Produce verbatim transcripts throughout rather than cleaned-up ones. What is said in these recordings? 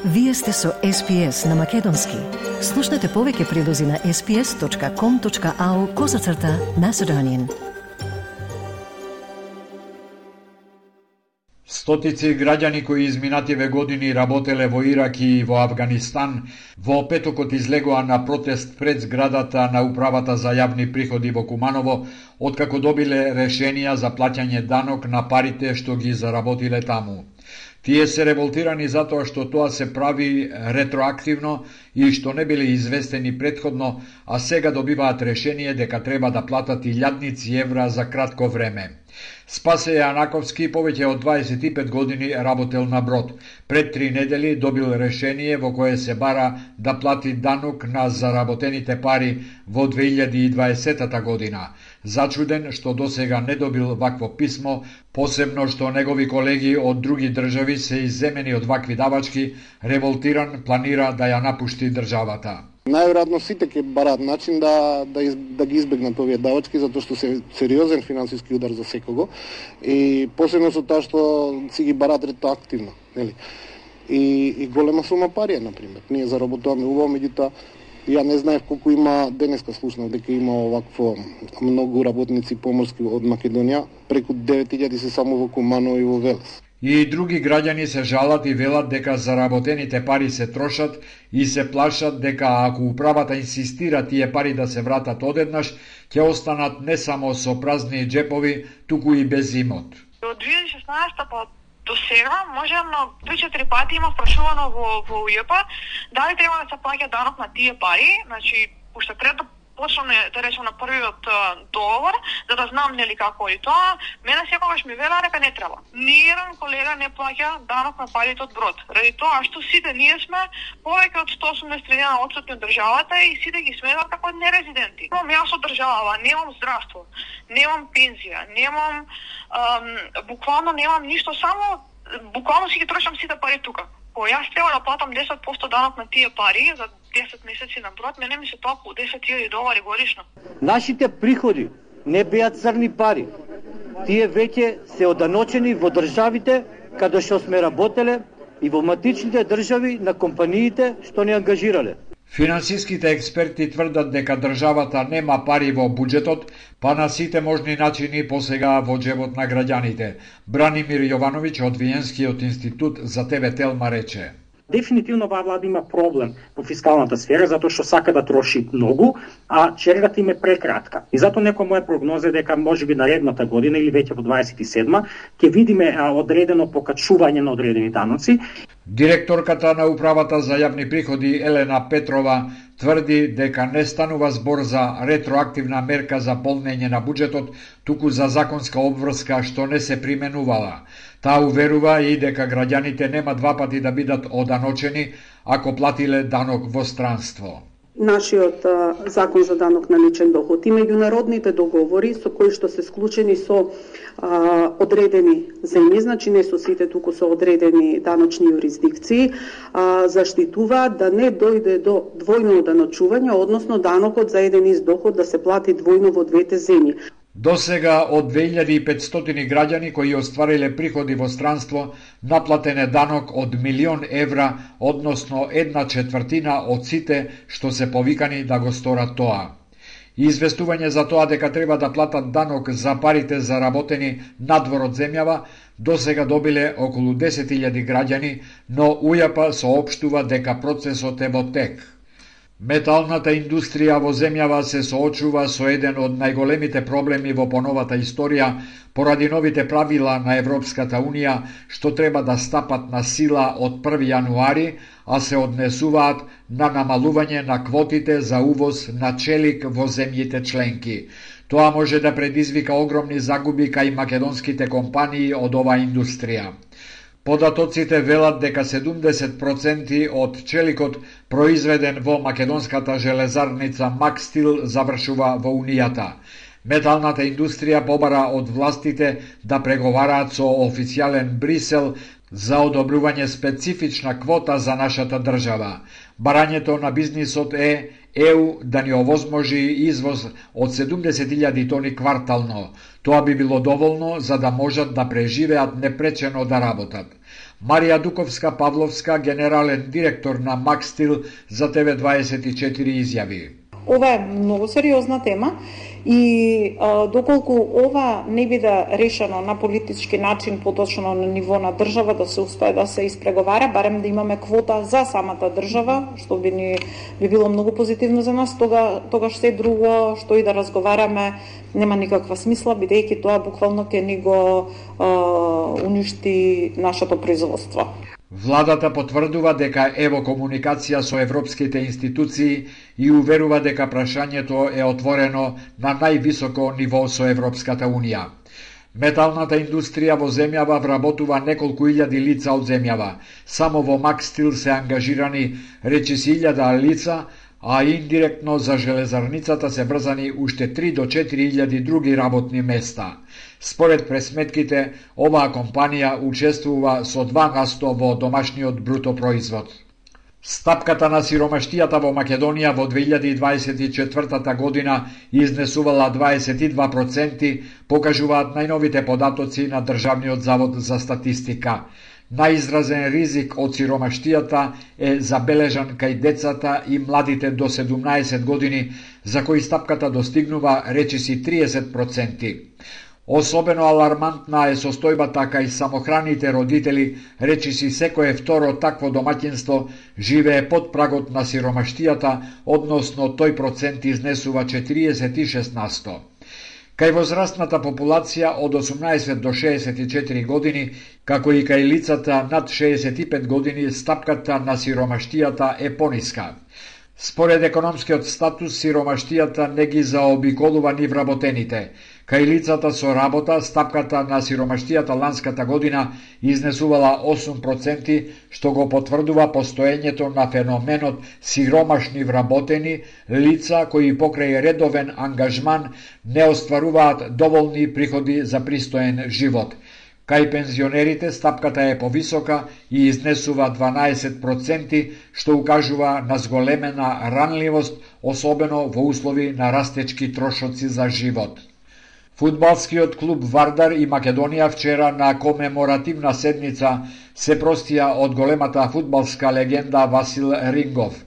Вие сте со Ес Пи Ес на Македонски. Слушнете повеќе прилози на ес пи ес точка ком точка ау козацрта Macedonian. Стотици граѓани кои изминативе години работеле во Ирак и во Авганистан, во петокот излегоа на протест пред зградата на Управата за јавни приходи во Куманово, откако добиле решенија за плаќање данок на парите што ги заработиле таму. Тие се револтирани затоа што тоа се прави ретроактивно и што не биле известени претходно, а сега добиваат решение дека треба да платат илјадници евра за кратко време. Спасе Јанаковски повеќе од дваесет и пет години работел на брод. Пред три недели добил решение во кое се бара да плати данок на заработените пари во две илјади и дваесета година. Зачуден што досега не добил вакво писмо, посебно што негови колеги од други држави се изземени од вакви давачки, револтиран планира да ја напушти државата. Најверојатно сите ќе бараат начин да, да, из, да ги избегнат овие давачки, затоа што се сериозен финансиски удар за секого и посебно со тоа што си ги бараат ретроактивно, нели? И, и голема сума пари, например. Ние заработуваме убаво, меѓутоа ја не знаев колку има, денеска слушнав дека има овакво многу работници поморски од Македонија, преку девет илјади се само во Куманово и во Велес. И други граѓани се жалат и велат дека заработените пари се трошат и се плашат дека ако управата инсистира тие пари да се вратат одеднаш, ќе останат не само со празни джепови, туку и без имот. Од две илјади и шеснаесета па до сега, можено три-четири пати има спрашувано во, во УЈП дали треба да се плаќа данок на тие пари, значи, уште трето почнаме, да речем, на првиот договор, за да знам нели како и тоа, мене секогаш ми велаа дека не треба. Ниеден колега не плаќа данок на парите од брод. Ради тоа што сите ние сме повеќе од сто осумдесет дена отсутни од државата и сите ги сметат како нерезиденти. Немам јас од држава, немам здравство, немам пензија, немам ам, буквално немам ништо, само буквално си ги трошам сите пари тука. Ко јас треба да платам десет проценти данок на тие пари за десет месеци на брод, мене ми се тоа околу десет илјади долари годишно. Нашите приходи не беа црни пари. Тие веќе се оданочени во државите каде што сме работеле и во матичните држави на компаниите што не ангажирале. Финансиските експерти тврдат дека државата нема пари во буџетот, па на сите можни начини посега во џебот на граѓаните. Бранимир Јовановиќ од Виенскиот институт за Те Ве Телма рече: Дефинитивно оваа влада има проблем во фискалната сфера затоа што сака да троши многу, а чергата им е прекратка. И затоа некоја моја прогноза е дека можеби наредната година или веќе во дваесет и седма ќе видиме одредено покачување на одредени даноци. Директорката на Управата за јавни приходи Елена Петрова тврди дека не станува збор за ретроактивна мерка за полнење на буџетот, туку за законска обврска што не се применувала. Таа уверува и дека граѓаните нема два пати да бидат оданочени ако платиле данок во странство. Нашиот а, закон за данок на личен доход и меѓународните договори со кои што се склучени со а, одредени земји, значи не со сите, туку со одредени даночни юрисдикции, а, заштитуваат да не дојде до двојно оданочување, односно данокот за еден ист доход да се плати двојно во двете земји. До сега од две илјади и петстотини граѓани кои оствариле приходи во странство наплатен е данок од милион евра, односно една четвртина од сите што се повикани да го сторат тоа. Известување за тоа дека треба да платат данок за парите заработени надвор од земјава до сега добиле околу десет илјади граѓани, но УЈП соопштува дека процесот е во тек. Металната индустрија во земјава се соочува со еден од најголемите проблеми во поновата историја поради новите правила на Европската Унија што треба да стапат на сила од први јануари, а се однесуваат на намалување на квотите за увоз на челик во земјите членки. Тоа може да предизвика огромни загуби кај македонските компании од оваа индустрија. Податоците велат дека седумдесет проценти од челикот произведен во македонската железарница Макстил завршува во Унијата. Металната индустрија побара од властите да преговараат со официјален Брисел за одобрување специфична квота за нашата држава. Барањето на бизнисот е Е У да ни овозможи извоз од седумдесет илјади тони квартално. Тоа би било доволно за да можат да преживеат непречено да работат. Марија Дуковска-Павловска, генерален директор на Макстил, за Т В дваесет и четири изјави. Ова е многу сериозна тема и а, доколку ова не биде решено на политички начин, поточно на ниво на држава, да се успее да се испреговара, барем да имаме квота за самата држава, што би ни би било многу позитивно за нас, тога тогаш се друго што и да разговараме нема никаква смисла, бидејќи тоа буквално ќе ни го а, уништи нашето производство. Владата потврдува дека е во комуникација со европските институции и уверува дека прашањето е отворено на највисоко ниво со Европската Унија. Металната индустрија во земјава вработува неколку илјади лица од земјава. Само во Макстил се ангажирани речиси илјада лица, а индиректно за железарницата се врзани уште три до четири илјади други работни места. Според пресметките, оваа компанија учествува со два на сто во домашниот бруто производ. Стапката на сиромаштијата во Македонија во две илјади дваесет и четвртата година изнесувала дваесет и два проценти, покажуваат најновите податоци на Државниот завод за статистика. Најизразен ризик од сиромаштијата е забележан кај децата и младите до седумнаесет години, за кои стапката достигнува речиси триесет проценти. Особено алармантна е состојбата кај самохраните родители, речиси секое второ такво домаќинство живее под прагот на сиромаштијата, односно тој процент изнесува четириесет и шест на сто. Кај возрастната популација од осумнаесет до шеесет и четири години, како и кај лицата над шеесет и пет години, стапката на сиромаштијата е пониска. Според економскиот статус, сиромаштијата не ги заобиколува ни вработените. Кај лицата со работа, стапката на сиромаштијата ланската година изнесувала осум проценти, што го потврдува постоењето на феноменот сиромашни вработени, лица кои покрај редовен ангажман не остваруваат доволни приходи за пристоен живот. Кај пензионерите стапката е повисока и изнесува дванаесет проценти, што укажува на зголемена ранливост, особено во услови на растечки трошоци за живот. Фудбалскиот клуб Вардар и Македонија вчера на комеморативна седница се простија од големата фудбалска легенда Васил Рингов.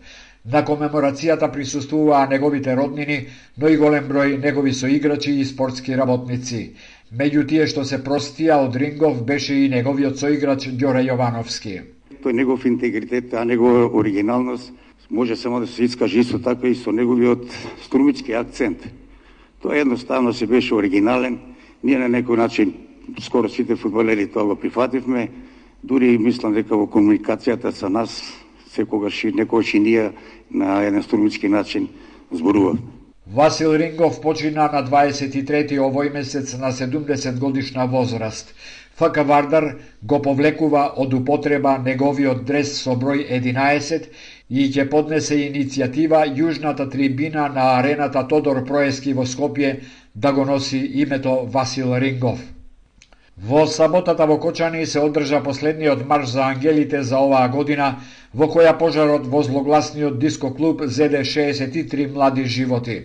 На комеморацијата присуствуваа неговите роднини, но и голем број негови соиграчи и спортски работници. Меѓу тие што се простија од Рингов беше и неговиот соиграч Ѓоре Јовановски. Тој негов интегритет, а негова оригиналност може само да се искаже исто така и со неговиот струмички акцент. Тоа едноставно се беше оригинален. Ние на некој начин, скоро сите фудбалери тоа го прифативме. Дури мислам дека во комуникацијата со нас секогаш и некогаш и ние на еден струмички начин зборувавме. Васил Рингов почина на дваесет и трети овој месец на седумдесет годишна возраст. ФК Вардар го повлекува од употреба неговиот дрес со број единаесет и ќе поднесе иницијатива јужната трибина на арената Тодор Проески во Скопје да го носи името Васил Рингов. Во саботата во Кочани се одржа последниот марш за ангелите за оваа година, во која пожарот во злогласниот диско клуб зеде шеесет и три млади животи.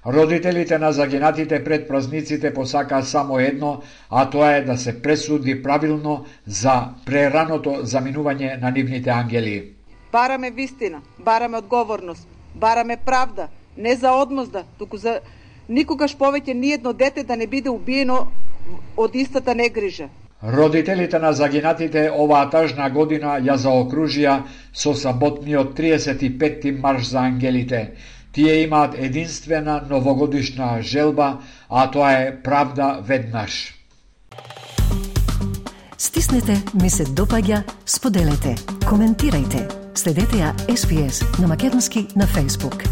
Родителите на загинатите пред празниците посакаа само едно, а тоа е да се пресуди правилно за прераното заминување на нивните ангели. Бараме вистина, бараме одговорност, бараме правда, не за одмозда, туку за никогаш повеќе ниедно дете да не биде убиено од истата негрижа. Родителите на загинатите оваа тажна година ја заокружија со саботниот триесет и петти марш за ангелите. Тие имаат единствена новогодишна желба, а тоа е правда веднаш. Стиснете, ми се допаѓа, споделете, коментирајте. Следете ја Ес Би Ес на македонски на Facebook.